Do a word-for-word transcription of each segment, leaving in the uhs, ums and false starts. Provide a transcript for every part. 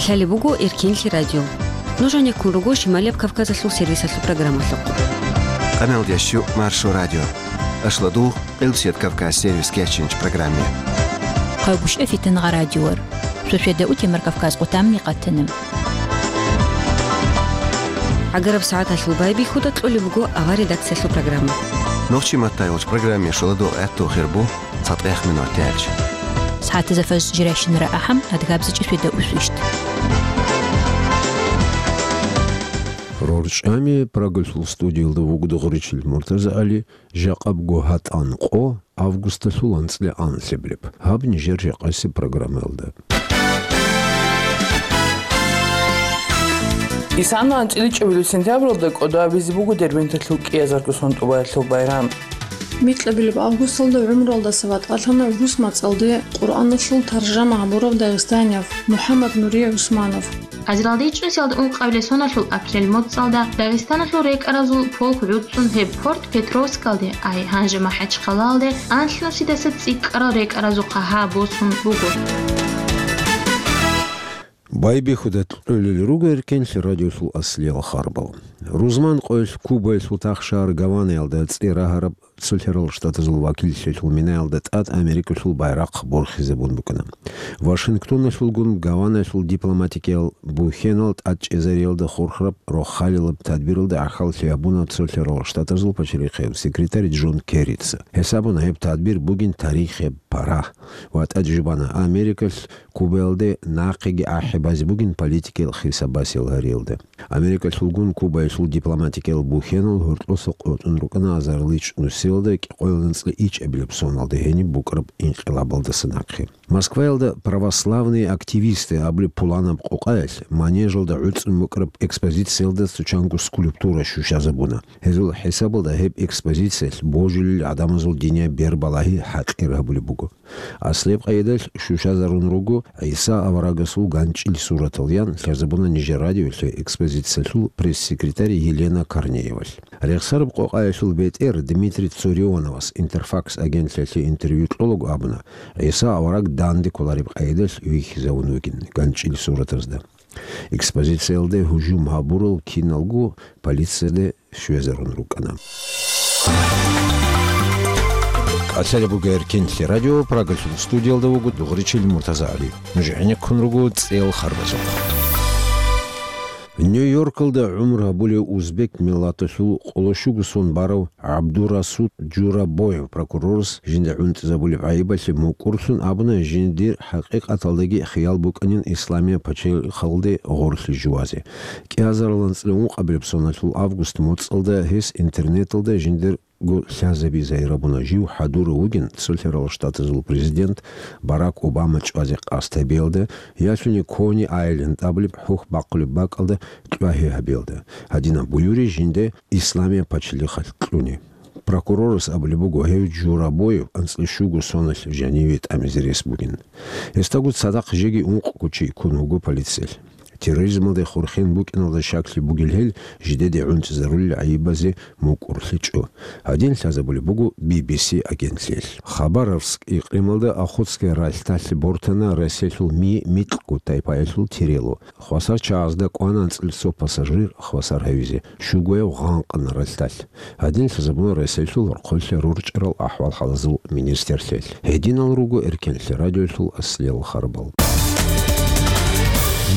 Лъалеб буго Эркенлъи радио. Нуж гьанеккун руго Шималияб Кавказалъул сервисалъул программалъухъ. Къамел дящу Маршо радио. Ашладугъ Къилсият Кавказ сервис кечинч программе. Хъайгушев Фитангъа радиор. Шошеда утемар Кавказ къутамни къатана. Агараб сагӀаталъул байбихьуда кьолеб буго авар редакциялъул программа. Нохчи маттайолч программе шоладо гӀатту хирбу. ЦатӀех минут тяч. СагӀатазда фаж жирайщинара ахӀам, адгабзичӀи свида усвищт. РорчӀами Прагалъул студиялда вугода гъуричил Муртаза ГӀали, жакъабго гьатӀан къо, августалъул анцӀила анлъабилеб. Гьаб нижер жакъасеб программаялда. Исана анцӀила чӀебилеб сентябралда кӀодо абизе буго Дербенталъул кӀиазарго сон тӀубаялъул байрам. Микьабилеб августалда гӀумруялдаса ватӀалъана рус мацӀалде Къуръаналъул таржама гьабурав дагъистанияв МухӀаммад Нури ГӀусманов. Азарилда чӀезалда ункъабилеб соналъул апрель моцӀалда Дагъистаналъул рекӀаразул полк гӀуцӀун гьеб Форт-Петровскалде, ай, гьанже МахӀачхъалаялде, анлънусидаса цӀикӀкӀарал рекӀаразухъа гьа босун буго. Байбихьуда кьолел руго Эркенлъи радиолъул аслиял харбал. Рузман къоялъ Кубаялъул тахшагьар Гаванаялда цӀе рагьараб Цолъарал Штатазул вакиллъиялъул минаялда тӀад Америкалъул байрахъ борхизабун букӀана. Вашингтоналъулгун Гаванаялъул дипломатикиял бухьенал тӀадчӀезариялда хурхараб рохалилаб тадбиралда гӀахьаллъи гьабуна Цолъарал Штатазул пачалихъияб секретарь Джон Керрица. Гьесабуна гьеб тадбир бугин тарихияб парагь ва тӀаде жубана Америкалъ Кубаялде нахъеги ахӀи базе бугин политикиял хисаб-басиялъ гьариялда. Америкалъулгун Кубаялъул дипломатикиял бухьенал гьоркьоса къотӀун рукӀана азарилда чӀнусиялда кӀикъоялда анцӀила ичӀабилеб соналда гьениб букӀараб инкъилабалдаса нахъе. Москваялда «Православные активисты» абулеб пуланаб къокъаялъ манежалда гӀуцӀун букӀараб экспозициялда цо чанго скульптура щущазабуна. Гьезул хӀисабалда гьеб экспозициялъ божилел гӀадамазул динияб бер-балагьи хӀакъир гьабулеб буго. Аслияб къайдалъ щущазарун руго ГӀиса аварагасул ганчӀил суратал, ян лъазабуна нижер радиолъе экспозициялъул пресс-секретарь Елена Корнеевалъ. Рехсараб къокъаялъул бетӀер Дмитрий Цурионовас Интерфакс агентлъиялъе интервью кьолаго абуна, ГӀиса авараг данде кколареб къайдалъ вихьизавун вугин ганчӀил суратазда. Экспозициялде гьужум гьабурал киналго полицияде щвезарун рукӀана. КӀалъалеб буго Эркенлъи радио, Прагалъул студиялда вуго дугъричил Муртаза ГӀали. Нуж гӀенеккун руго цӀел харбазухъ. Нью-Йоркалда гӀумру гьабулев узбек миллаталъул къоло щуго сон барав ГӀабдурасул Журабоев прокурорас жинда гӀунтӀизабулеб гӀайибалъе мукӀурлъун абуна, жиндир хӀакъикъаталдаги хиял букӀанин Исламияб пачалихъалде гъорлъе живазе. КӀиазарал анцӀила ункъабилеб соналъул август моцӀалда гьес интернеталда жиндирго лъазаби загьир гьабуна, жив хӀадурав вугин Цолъарал Штатазул президент Барак Обама чӀвазе къасд гьабиялда, ялъуни Кони-Айленд абулеб хӀухь бахъулеб бакӀалда кьвагьи гьабиялда. Гьадинаб буюри жинда Исламияб пачалихъалъ кьуни. Прокурорас абулеб буго, гьев Журабоев анцӀила щуго соналъ жаниве тӀамизе рес бугин. Гьесдаго цадахъ жеги ункъго чи ккун вуго полициялъ. Терроризмалде хурхен букӀиналда щаклъи бугелъул, жидеде гӀунтӀизарулел гӀайибазе мукӀурлъичӀо. Гьадин лъазабулеб буго Би Би Си агентлъиялъ. Хабаровск икълималда Охотская ралъдалъ бортана Россиялъул Ми микьго тайпаялъул тирело. Хвасар чагӀазда кӀвана анцӀила цо пассажир хвасар гьавизе, щугояв гъанкъана ралъдалъ. Гьадин лъазабуна Россиялъул рахъалъе рорчӀарал ахӀвал-хӀалазул министрлъиялъ. Гьединал руго Эркенлъи радиолъул аслиял харбал.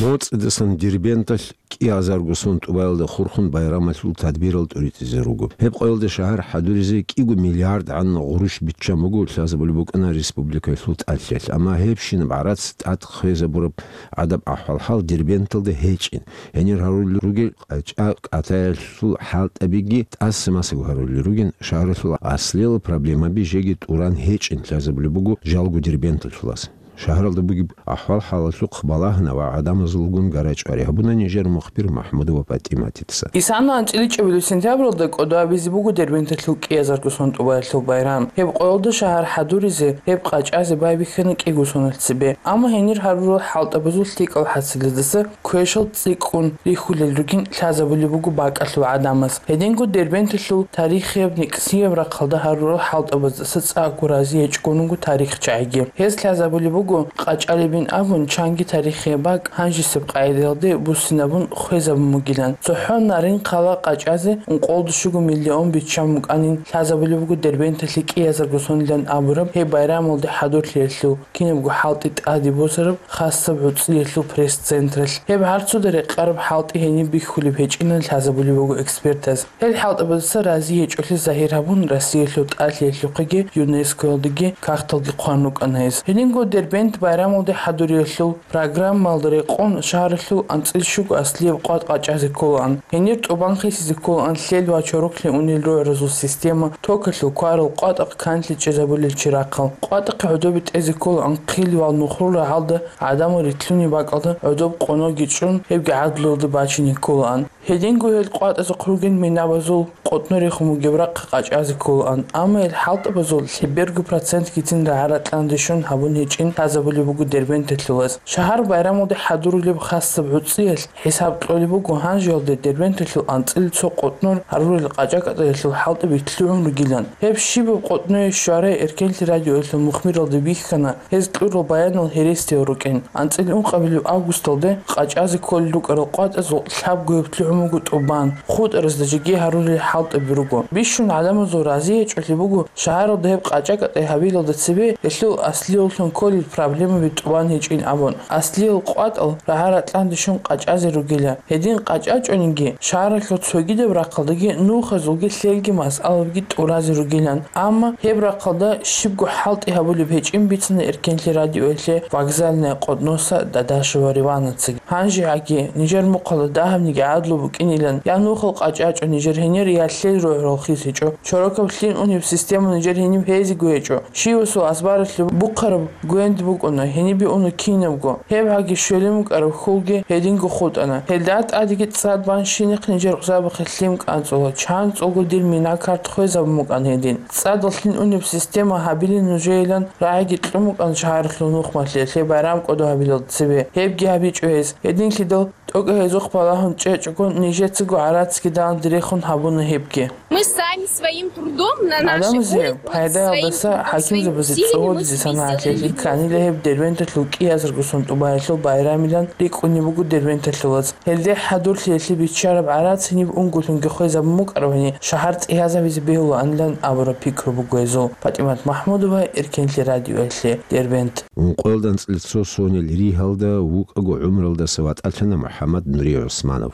МоцӀидасан Дербенталъ кӀиазарго сон тӀубаялда хурхун байрамалъул тадбирал тӀуритӀизе руго. Гьеб къоялда шагьар хӀадуризе кӀиго миллиард гӀанна гъурущ биччан буго, лъазабулеб букӀана республикаялъул тӀалъиялъ. Амма гьебщинаб гӀарац тӀад хвезабураб гӀадаб ахӀвал-хӀал Дербенталда гьечӀин. Гьенир гьарулел ругел къача-кӀатаялъул хӀалтӀабиги тӀаса-масаго гьарулел ругин, шагьаралъул аслиял проблемаби жеги тӀуран гьечӀин лъазабулеб буго жалго Дербенталъулас. Шагьаралда бугеб ахӀвал-хӀалалъухъ балагьана ва гӀадамазулгун гарачӀвари гьабуна нижер мухбир МахӀмудова ПатӀиматица. Исана анцӀила чӀебилеб сентябралда кӀодо абизе буго Дербенталъул кӀиазарго сон тӀубаялъул байрам. Гьеб къоялда шагьар хӀадуризе, гьеб къачӀазе байбихьана кӀиго соналъ цебе. Амма гьенир гьарурал хӀалтӀабазул лъикӀал хӀасилаздаса квешал цӀикӀкӀун рихьулел ругин лъазабулеб буго бакӀалъул гӀадамаз. Гьединго Дербенталъул тарихияб, никсияб рахъалда гьарурал хӀалтӀабаздаса цӀакъго рази гьечӀого тарихчагӀиги. Гьез лъазабулеб буго къачӀалебин абун, чанги тарихияб бакӀ гьанжесеб къагӀидаялде буссинабун хвезабун бугилан. ЦохӀо Нарын хъала къачӀазе ункъоялда щуго миллион биччан букӀанин лъазабулеб буго Дербенталъе кӀиазарго сонилан абураб гьеб байрамалде хӀадурлъиялъул, кинабго хӀалтӀи тӀаде босараб хасаб гӀуцӀиялъул пресс-централъ. Гьеб гьарцуда рекъараб хӀалтӀи гьениб бихьулеб гьечӀилан лъазабулеб буго экспертаз. Гьел хӀалтӀабаздаса рази гьечӀолъи загьир гьабун, Россиялъул тӀалъиялъухъеги ЮНЕСКОялдеги кагъталги хъван рукӀана гьез. Гьединго Дербент байрамалде хӀадуриялъул программалда рекъон шагьаралъул анцӀил щуго аслияб къватӀ къачӀазе кколаан. Гьенир тӀубан хисизе кколаан лъел ва чороклъи унел рогӀразул система, токалъул кварал, къватӀахъ канлъи чӀезабулел чирахъал. КъватӀахъе гӀодобе тӀезе кколаан хъил ва нухрул рагӀалда гӀадамал рилълъунеб бакӀалда гӀодоб къоноги чӀун, гьебги гӀадлуялда бачине кколаан. Гьединго гьел къватӀазухъ ругел минабазул къотӀнорехун бугеб рахъ къачӀазе кколаан, амма гьел хӀалтӀабазул лъеберго процентгицин рагӀа-ракьанде щун гьабун гьечӀин лъазабулеб буго Дербенталъулаз. Шагьар байрамалде хӀадурулеб хасаб гӀуцӀиялъ хӀисаб кьолеб буго гьанжеялде Дербенталъул анцӀила цо къотӀнор гьарурел къачӀа-кӀатӀаялъул хӀалтӀаби лъугӀун ругилан. Гьеб щибаб къотӀное щварай Эркенлъи радиоялъул мухбиралда бихьана, гьез кьурал баянал гьересиял рукӀин. АнцӀила ункъабилеб августалде къачӀазе кколел рукӀарал къватӀазул лъабгояб лъугӀун буго тӀубан, хутӀаразда жеги гьарулел хӀалтӀаби руго. Бищун гӀадамазул рази гьечӀолъи буго шагьаралда гьеб къачӀа-кӀатӀай гьабилалда цебе гьелъул аслиялъун кколел проблемаби тӀубан гьечӀин абун. Аслиял къватӀал рагӀа-ракьанде щун къачӀазе ругила. Гьедин къачӀачӀониги, шагьаралъул цогидаб рахъалдаги нухазулги лъелги масъалабиги тӀуразе ругилан. Амма гьеб рахъалда щибго хӀалтӀи гьабулеб гьечӀин бицана Эркенлъи радиоялъе вокзальная къотӀноса Дадашева Реванацаги. ГьанжегӀаги, нижер мухъалда дагьабниги гӀадлу букӀинилан, я нухал къачӀачӀо нижер гьенир, я лъел рогӀрал хисичӀо. Чорокаб лъин унеб система нижер гьениб гьезиго гьечӀо. Щивасул азбаралъе бухъараб гвенд букӀуна, гьенибе уна кинабго. Гьеб гьаги щвелин букӀараб хьулги гьединго хутӀана. Гьелда тӀадеги цӀад бан щинихъ нижер кьузабухъе лъим кӀанцӀула, чанцӀулго дир мина-карт хвезабун букӀан гьедин. ЦӀадал лъин унеб система гьабилин нужеилан рагӀиги кьун букӀан шагьаралъул нухмалъе, лъеб байрам кӀодо гьабилал цебе. Гьебги гьабичӀо гьез. Гьединлъидал тӀокӀаб гьезухъ балагьун чӀечӀого, нижецаго гӀарацги далан дирехун гьабуна гьебги. Мы сами своим трудом на нашей улице, вот своим трудом, своими усилиями мы себе сделали здесь. ГӀадамазе пайдаялдаса хӀакимзабазе цӀугӀуризе санагӀатлъи кканила гьеб Дербенталъул кӀиазарго сон тӀубаялъул байрамилан рикӀкӀунеб буго дербенталъулаз. Гьелде хӀадурлъиялъе биччараб гӀарац гьениб унго лъунги хвезабун букӀарабани, шагьар цӀиязабизе бегьулаанилан абураб пикру буго гьезул. ПатӀимат Махмудова, Эркенлъи радиоялъе, Дербент. Ункъоялда анцӀила цо сонил ригьалда вукӀаго гӀумруялдаса ватӀалъана МухӀаммад Нури ГӀусманов.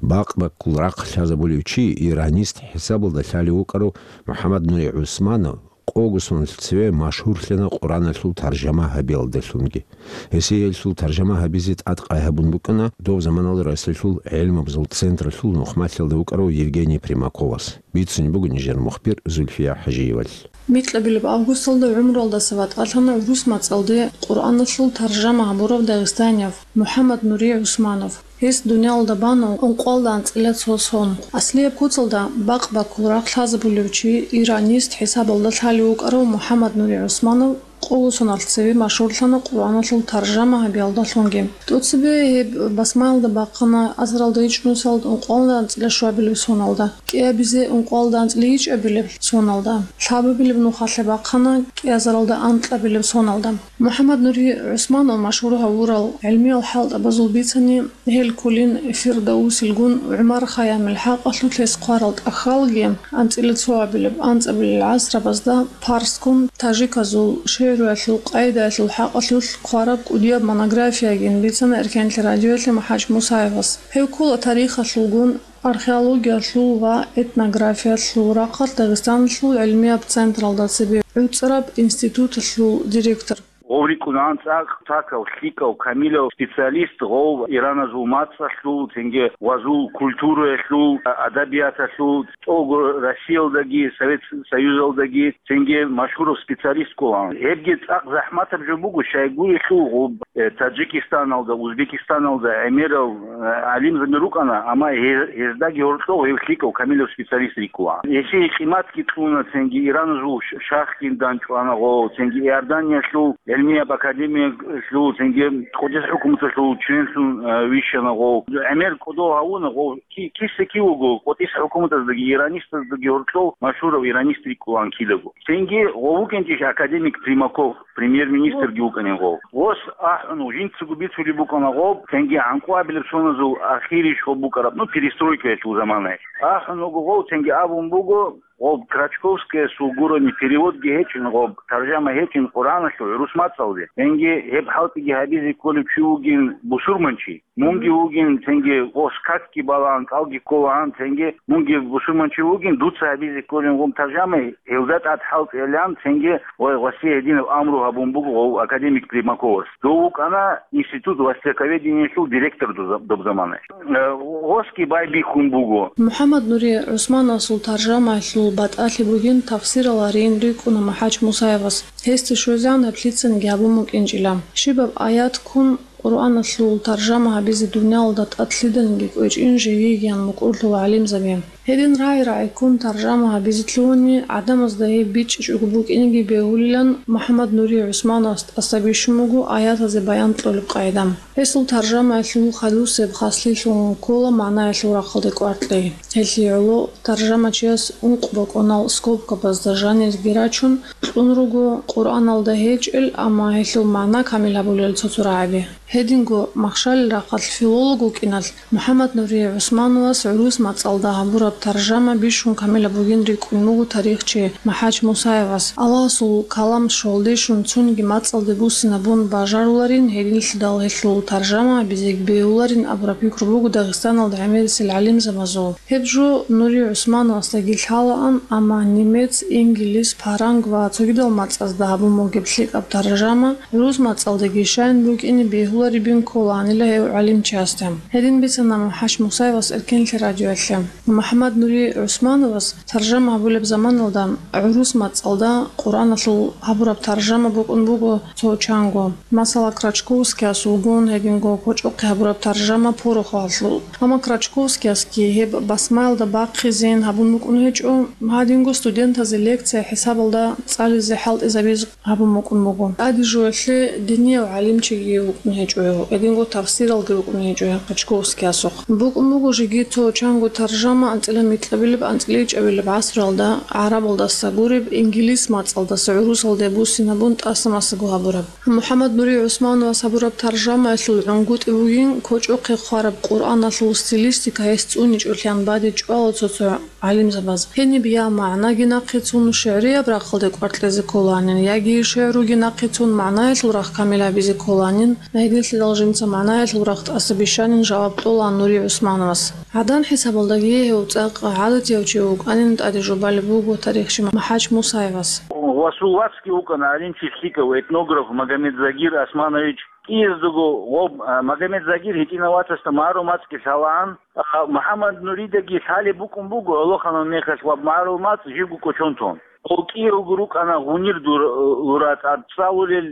Бакъ-баккул рахъ лъазабулев чи, иранист хӀисабалда лъалев вукӀарав МухӀаммад Нури ГӀусманов къого соналъ цеве машгьурлъана Къуръаналъул таржама гьабиялдалъунги. Гьесие гьелъул таржама гьабизе тӀадкъай гьабун букӀана доб заманалда Россиялъул гӀелмабазул централъул нухмалъиялда вукӀарав Евгений Примаковас. Бицунеб буго нижер мухбир Зульфия ХӀажиевалъ. Микьабилеб августалда гӀумруялдаса ватӀалъана гӀурус мацӀалде Къуръаналъул таржама гьабурав дагъистанияв МухӀаммад Нури ГӀусманов. Гьес дуниялда бана ункъоялда анцӀила цо сон. Аслияб куцалда бакъ-баккул рахъ лъазабулев чи, иранист хӀисабалда лъалев вукӀарав МухӀаммад Нури ГӀусманов къого соналъ цеве машгьурлъана Къуръаналъул таржама гьабиялдалъунги. ТӀоцебе гьеб басмаялда бахъана азаралда ичӀнусалда ункъоялда анцӀила щуабилеб соналда, кӀиабизе ункъоялда анцӀила ичӀабилеб соналда, лъабабилеб нухалъе бахъана кӀиазаралда анкьабилеб соналда. МухӀаммад Нури ГӀусманов машгьур гьавурал гӀелмиял хӀалтӀабазул бицани, гьел кколин Фирдавусилгун ГӀумар Хайямил хӀакъалъулъ гьес хъварал тӀахьалги, анцӀила цоабилеб, анцӀабилел гӀасрабазда Парскун тажиказул шигӀруялъул къайдаялъул хӀакъалъулъ хъвараб кӀудияб монографиягин бицана Эркенлъи радиоялъе МухӀаж Мусаевас. Гьев ккола тарихалъулгун, археологиялъул ва этнографиялъул рахъалъ Дагъистаналъул гӀилмияб централда цебе гӀуцӀраб институталъул директор. Гъов рикӀкӀунаан цӀакъ пакав, лъикӀав, камилав специалист, гъов ираназул мацӀалъул, цинги вазул культураялъул, адабияталъул, цӀого Россиялдаги, Совет Союзалдаги цинги машгьурав специалист кколаан. Гьебги цӀакъ захӀматаб жо буго, щайгурелъул гъоб, э, Таджикистаналда, Узбекистаналда гӀемерал, э, гӀалимзаби рукӀана, амма гье-, гьездаги гьоркьов гьев лъикӀав камилав специалист рикӀкӀуна. Гьесие къиматги кьуна, цинги Ираназул ш-, шахгин данчӀвана гъов, цинги Иорданиялъул гӀилмияб академиялъул, цинги КъуддисахӀ хӀукуматалъул членлъун, э, вищана гъов. ГӀемер кӀодо гьавуна гъов. Ки-, киса-кив вуго, КъуддисахӀ хӀукуматаздаги иранистаздаги гьоркьов машгьурав иранист рикӀкӀунаан кидаго. Цинги гъов вукӀинчӀищ академик Примаков? премьер-министрги вукӀанин гъов. Гъос ахӀун жинцаго бицулеб букӀана гъоб, цинги гӀанкъуабилеб соназул ахирищ гъоб букӀараб, ну, перестройкаялъул заманаялъ. АхӀун вуго гъов, цинги абун буго, гъоб Крачковскаясул гурони переводги гьечӀин, гъоб таржама гьечӀин Къуръаналъул гӀурус мацӀалде. Цинги гьеб хӀалтӀиги гьабизе кколев чи вугин бусурманчи. Мунги вугин, цинги гъос какги балаан, кӀалги кколаан, цинги мунги бусурманчи вугин, дуца гьабизе кколин гъум таржама, гьелда тӀад хӀалтӀилан, цинги ва гъосие гьединаб амру гьабун буго гъов академик Примаковас. Дов вукӀана институт востоковедениялъул директор доб-, доб замана. Э, гъосги байбихьун буго. МухӀаммад Нури ГӀусмановасул таржамаялъул батӀалъи бугин тафсирал гьарин рикӀкӀуна МухӀач Мусаевас. Гьесде щвезегӀан гьеб лъицаниги гьабун букӀинчӀила. Щибаб аят ккун Къуръаналъул таржама гьабизе дуниялалда тӀад лъиданиги кӀвечӀин жеги йигиян мукӀурлъула гӀалимзаби. Гьедин рагӀи-рагӀи ккун таржама гьабизе лъугьуни, гӀадамазда гьеб бичӀчӀичӀого букӀинеги бегьулилан МухӀаммад Нури ГӀусмановас тӀаса бищун буго аятазе баян кьолеб къагӀида. Гьесул таржамаялъул хадусеб хаслъилъун ккола магӀнаялъул рахъалде кӀваркьей. Гьелъие гӀоло таржамачияс ункъ бокӀонал скобкабазда жанирги рачун, кьун руго Къуръаналда гьечӀел, амма гьелъул магӀна камил гьабулел цо-цо рагӀаби. Гьединго махщалил рахъалъ филолог вукӀиналъ, МухӀаммад Нури ГӀусмановас гӀурус мацӀалда гьабураб таржама бищун камилаб бугин рикӀкӀун буго тарихчи МухӀач Мусаевас. Аллагьасул калам щолдищун цониги мацӀалде буссинабун бажаруларин, гьединлъидал гьелъул таржама гьабизеги бегьуларин абураб пикру буго Дагъистаналда гӀемерисел гӀалимзабазул. Гьеб жо Нури ГӀусмановасдаги лъалаан, амма немец, инглис, паранг ва цогидал мацӀазда гьабун бугеб лъикӀаб таржама гӀурус мацӀалдаги щайин букӀине бегьуларебин кколаанила гьев гӀалимчиясда. Гьедин бицана МухӀач Мусаевас Эркенлъи радиоялъе. МухӀаммад Нури ГӀусмановас таржама гьабулеб заманалда гӀурус мацӀалда Къуръаналъул гьабураб таржама букӀун буго цо чанго. Масала, Крачковскиясулгун гьединго кочӀохъе гьабураб таржама порохалъул. Амма Крачковскиясги гьеб басмаялда бахъизейин гьабун букӀун гьечӀо, гьадинго студентазе лекция хӀисабалда цӀализе хӀалтӀизабиз гьабун букӀун буго. ТӀаде жоялъе динияв гӀалимчиги вукӀун гьечӀо гьев, гьединго тафсиралги рукӀун гьечӀо гьев Крачковскиясухъ. БукӀун буго жеги цо чанго таржама анцӀила микьабилеб-анцӀила ичӀабилеб гӀасралда гӀарабалдаса гуреб, инглис мацӀалдаса гӀурусалде буссинабун тӀаса-масаго гьабураб. МухӀаммад Нури ГӀусмановас гьабураб таржамаялъул гӀунгутӀи бугин кочӀохъе хъвараб Къуръаналъул стилистика гьес цӀуничӀолъан бадиб чӀвала цо-цо гӀалимзабаз. Гьениб я магӀнаги нахъе цун шигӀрияб рахъалде кӀваркьезе кколанин, яги шигӀруги нахъе цун магӀнаялъул рахъ камил гьабизе кколанин, гьединлъидал жинца магӀнаялъул рахъ тӀаса бищанин жаваб кьола Нури ГӀусмановас. ГӀадан хӀисабалдаги гьев цӀакъ гӀадатияв чи вукӀанин тӀаде жубалеб буго тарихчи МухӀач Мусаевас. Гъосул вацги вукӀана гӀалимчи лъикӀав этнограф Магомед Загир Османович. КӀияздаго гъоб, а, Магомед Загир гьитӀинав вацасда магӀарул мацӀги лъалаан, а, МухӀаммад Нуридаги лъалеб букӀун буго гӀолохъанал мехалъ ва магӀарул мацӀ живго кӀочон тун. Гъов кӀиявго рукӀана гъунир дур-, лура тӀад цӀалулел,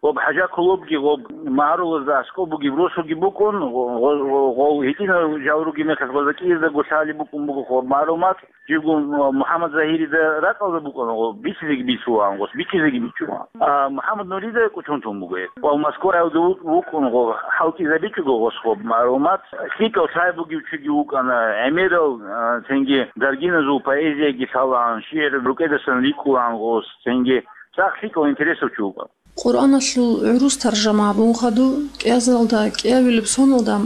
гъоб ХӀажа Кулубги гъоб магӀарулазда аскӀоб бугеб росуги букӀун, гъо-, гъо-, гъо-, гъов гьитӀинав жал ругеб мехалъ гъоза кӀияздаго лъалеб букӀун буго гъоб магӀарул мацӀ. Живго МухӀаммад Загьирида ракӀалда букӀана гъо, бицизеги бицулаан, гъос бицизеги бичулаан. А МухӀаммад Нурида кӀочон тун буго гьеб. Ва Москваялда ву-, вукӀун гъо, хӀалтӀизабичӀого гъос гъоб магӀарул мацӀ. ЛъикӀав лъай бугев чиги вукӀана, гӀемерал, а, цинги даргиназул поэзияги лъалаан, шигӀр рукӀедасан рикӀкӀулаан гъос, цинги цӀакъ лъикӀав интересав чи вукӀана. Къуръаналъул гӀурус таржама гьабун хадуб, кӀиазаралда кӀиабилеб соналда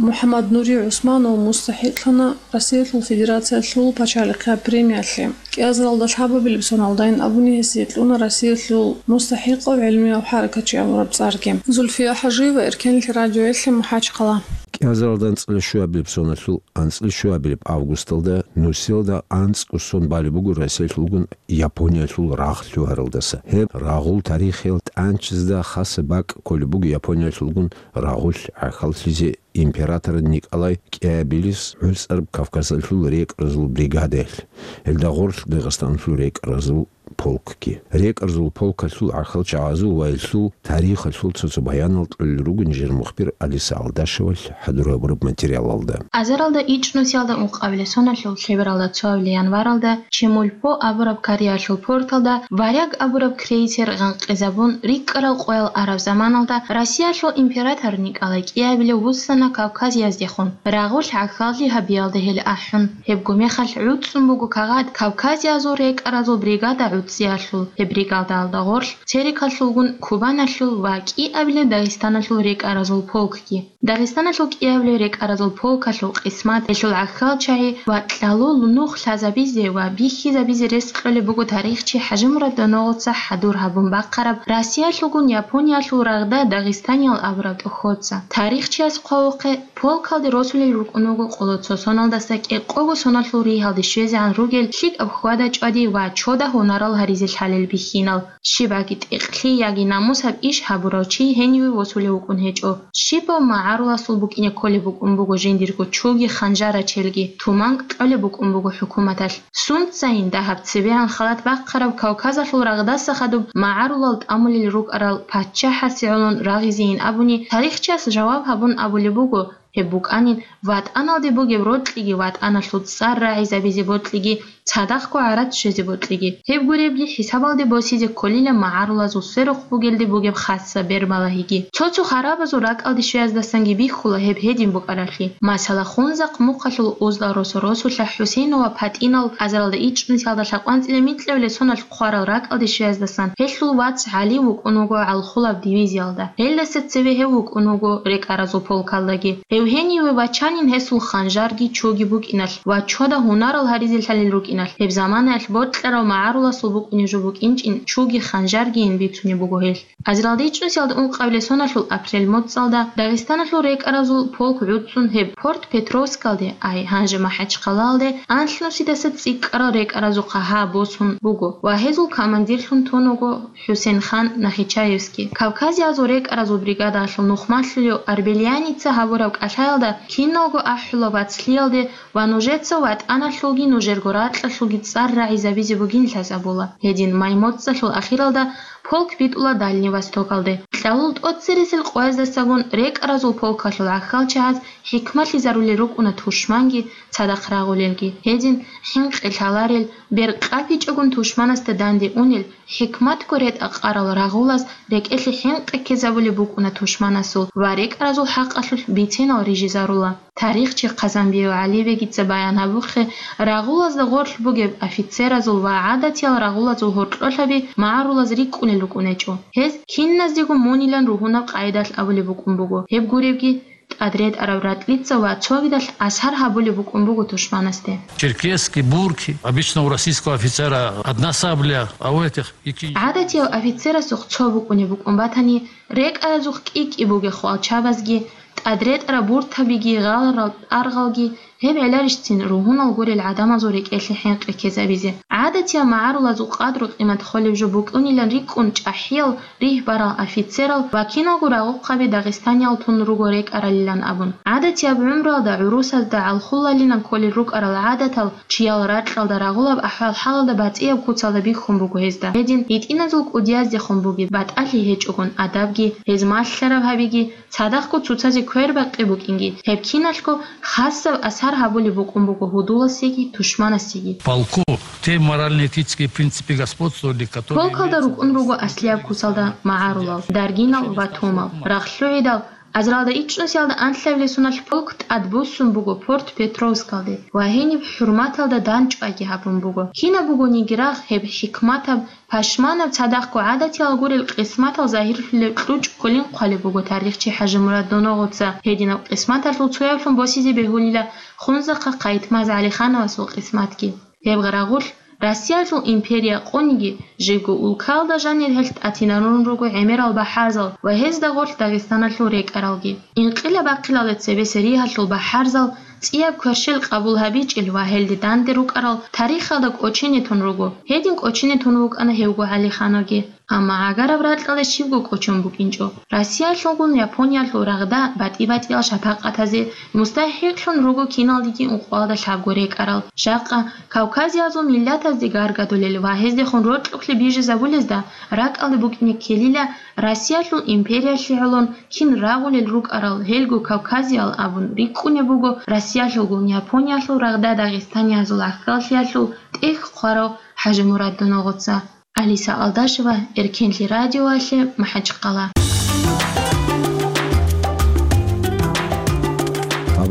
МухӀаммад Нури ГӀусманов мустахӀикълъана Россиялъул Федерациялъул пачалихъияб премиялъе. КӀиазаралда лъабабилеб соналдайин абуни гьесие кьуна Россиялъул мустахӀикъав гӀелмияв хӀаракатчи абураб цӀарги. Зульфия ХӀажиева, Эркенлъи радиоялъе, МахӀачхъала. КӀиазаралда анцӀила щуабилеб соналъул анцӀила щуабилеб августалда нусилда анцӀго сон балеб буго Россиялъулгун Япониялъул рагъ лъугьаралдаса. Гьеб рагъул тарихиял тӀанчизда хаса бакӀ кколеб буго Япониялъулгун рагъулъ гӀахьаллъизе император Николай кӀиабилес гӀуцӀараб Кавказалъул рекӀразул бригадаялъ, гьелда гъорлъ Дагъистаналъул рекӀразул полкги. РекӀразул полкалъул гӀахьалчагӀазул ва гьелъул тарихалъул цо-цо баянал кьолел ругин жер мухбир Алиса Алдашевалъ хӀадур гьабураб материалалда. Азаралда ичӀнусиялда ункъабилеб соналъул лъебералда цоабилеб январалда Чемульпо абураб кореялъул порталда «Варяг» абураб крейсер гъанкъизабун, рикӀкӀарал къоял араб заманалда Россиялъул император Николай кӀиабилев вуссана Кавказияздехун, рагъулъ гӀахьаллъи гьабиялда гьел ахӀун. Гьебго мехалъ гӀуцӀун буго кагъат Кавказиязул рекӀаразул бригада цӀиялъул гьеб бригадалда гъорлъ, Терекалъулгун Кубаналъул ва кӀиабилеб Дагъистаналъул рекӀаразул полкги. Дагъистаналъул кӀиабилеб рекӀаразул полкалъул къисмат, гьелъул гӀахьалчагӀи ва кьалул нух лъазабизе ва бихьизабизе рес кьолеб буго тарихчи ХӀажимурад Доногъоца хӀадур гьабун бахъараб Россиялъулгун Япониялъул рагъда Дагъистаниял абураб тӀохьоца. Тарихчияс хъвавухъе, полкалде росулел рукӀун вуго къоло цо соналдаса кӀикъого соналъул ригьалде щвезегӀан ругел лъикӀаб хьвада-чӀвади ва чода гьунарал гьаризе лъалел бихьинал. Щибаги тӀекълъи яги намусаб иш гьабурав чи гьениве восулев вукӀун гьечӀо. Щибаб магӀаруласул букӀине кколеб букӀун буго жиндирго чуги ханжарачелги, туманкӀ кьолеб букӀун буго хӀукуматалъ. Сунцайин дагьаб цебегӀан халат бахъараб Кавказалъул рагъдаса хадуб магӀарулал тӀамулел рукӀарал паччахӀасе гӀолон рагъизейин абуни, тарихчияс жаваб гьабун абулеб буго, гьеб букӀанин ватӀаналде бугеб рокьиги ватӀаналъул цӀар рагӀизабизе бокьиги, цадахъго гӀарат щвезе бокьиги. Гьеб гуребги хӀисабалде босизе кколила магӀарулазул сверухъ бугелде бугеб хасса бербалагьиги. Цо-цо харабазул ракӀалде щвеяздасанги бихьула гьеб гьедин букӀаралъи. Масала, Хунзахъ мухъалъул Узлал росо-росулъа ХӀусейнова ПатӀинал азаралда ичӀнусиялда лъакъванцӀила микьабилеб соналъ хъварал ракӀалде щвеяздасан гьелъул вац ГӀали вукӀун вуго гӀалхулаб дивизиялда. Гьелдаса цеве гьев вукӀун вуго рекӀаразул полкалдаги. Гьев гьениве вачанин гьесул ханжарги чуги букӀиналъ ва чода гьунарал гьаризе лъалел рукӀиналъ, гьеб заманаялъ бокьарав магӀаруласул букӀунеб жо букӀинчӀин чуги ханжаргийин бицунеб буго гьелъ. Азаралда ичӀнусиялда ункъабилеб соналъул апрель моцӀалда Дагъистаналъул рекӀаразул полк гӀуцӀун гьеб Порт-Петровскалде, ай, гьанже МахӀачхъалаялде, анлънусидаса цӀикӀкӀарал рекӀаразухъа гьа босун буго ва гьезул командирлъун тун вуго ХӀусейнхан Нахичаевский. Кавказиязул рекӀаразул бригадалъул нухмалъулев Арбелияница гьабураб кӀалъаялда киналго ахӀула вацлъиялде ва нужеца ватӀаналъулги нужерго ракьалъулги цӀар рагӀизабизе бугин лъазабула. Гьедин май моцӀалъул ахиралда полк битӀула Дальний Востокалде. Кьалул тӀоцересел къояздасагун рекӀаразул полкалъул гӀахьалчагӀаз хӀикмалъизарулел рукӀуна тушманги цадахъ рагъулелги. Гьедин хӀинкъи лъаларел, бер къапичӀогун тушманасда данде унел, хӀикматго ретӀа-къарал рагъулаз рекӀелъе хӀинкъи ккезабулеб букӀуна тушманасул ва рекӀаразул хӀакъалъулъ биценал рижизарула. Тарихчи Хъазанбиев ГӀалибегица баян гьабухъе, рагъулазда гъорлъ бугеб офицеразул ва гӀадатиял рагъулазул гьоркьолъаби магӀарулаз рикӀкӀунел рукӀунечӀо. Гьез киназдего мунилан ругьунаб къайдалъ абулеб букӀун буго. Гьеб гуребги, тӀадретӀараб ратӀлица ва цогидалъ асар гьабулеб букӀун буго тушманасде. Черкески, бурки, обычно у российского офицера одна сабля, а у этих икинчи. ГӀадатияв офицерасухъ цо букӀунеб букӀун батани, рекӀаразухъ кӀи-кӀи бугехъо алчабазги, тӀадретӀараб буртабиги, гъаларал тӀаргъалги, гьеб гӀеларищцин ругьунал гурел гӀадамазул рекӀелъе хӀинкъи ккезабизе. ГӀадатияв магӀарулазул къадру-къимат холеб жо букӀунилан рикӀкӀун чӀахӀиял ригь барал офицерал ва киналго рагъухъаби дагъистаниял тун руго рекӀаралилан абун. ГӀадатияб гӀумруялда гӀурусазда гӀалхулалилан кколел рукӀарал гӀадатал чиял ракьалда рагъулаб ахӀвал-хӀалалда батӀияб куцалда бихьун буго гьезда. Гьедин гьитӀиназул кӀудияздехун бугеб батӀалъи гьечӀогун адабги, гьез малъараб гьабиги, цадахъго цоцазе квербакъи букӀинги, гьеб киналъго хасаб асар гьабулеб букӀун буго гьудуласеги тушманасеги. Полку те морально-этические принципы господствовали, которые... Полкалда рукӀун руго аслияб куцалда магӀарулал, даргинал ва томал. РагълъугӀидал, азаралда ичӀнусиялда анлъабилеб соналъ полк тӀадбуссун буго Порт-Петровскалде ва гьениб хӀурматалда данчӀвайги гьабун буго. Кинаб бугониги рагъ, гьеб хӀикматаб, пашманаб, цадахъго гӀадатиял гурел къисматал загьирлъулеб кьучӀ кколин хъвалеб буго тарихчи ХӀажимурад Доногъоца. Гьединаб къисматалъул цояблъун босизе бегьулила Хунзахъа Къайтмаз ГӀалихановасул къисматги. Гьеб гъарагъулъ Россиялъул империя къуниги, жибго улкаялда жанир гьелъ тӀатинарун руго гӀемерал бахӀарзал ва гьезда гъорлъ Дагъистаналъул рекӀаралги. Инкъилаб бахъиналде цебе Сириялъул бахӀарзал цӀияб кверщел къабул гьабичӀел ва гьелде данде рукӀарал тарихалда кӀочине тун руго. Гьедин кӀочине тун вукӀана гьевго ГӀалихановги. Амма гӀагараб ракьалде щибго кӀочон букӀинчӀо. Россиялъулгун Япониялъул рагъда батӀи-батӀиял шапакъатазе мустахӀикълъун руго киналдеги ункъоялда лъабго рекӀарал. Жакъа Кавказиязул миллатазде гаргадулел ва гьездехун рокьукълъи бижизабулезда ракӀалде букӀине ккелила Россиялъул империялъе гӀолон кин рагъулел рукӀарал гьелго кавказиял абун рикӀкӀунеб буго Россиялъулгун Япониялъул рагъда дагъистаниязул гӀахьаллъиялъул тӀехь хъварав ХӀажимурад Доногъоца. Алиса Алдашева, Эркенлъи радиоялъе, МахӀачхъала.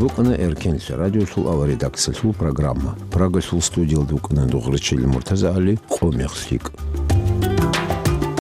Букъана Эркенлъа радиолъул аваредакциялъул программа. Прагалъул студиялда вукӀана Дугърачил МуртазагӀали, «Къо мехлъи».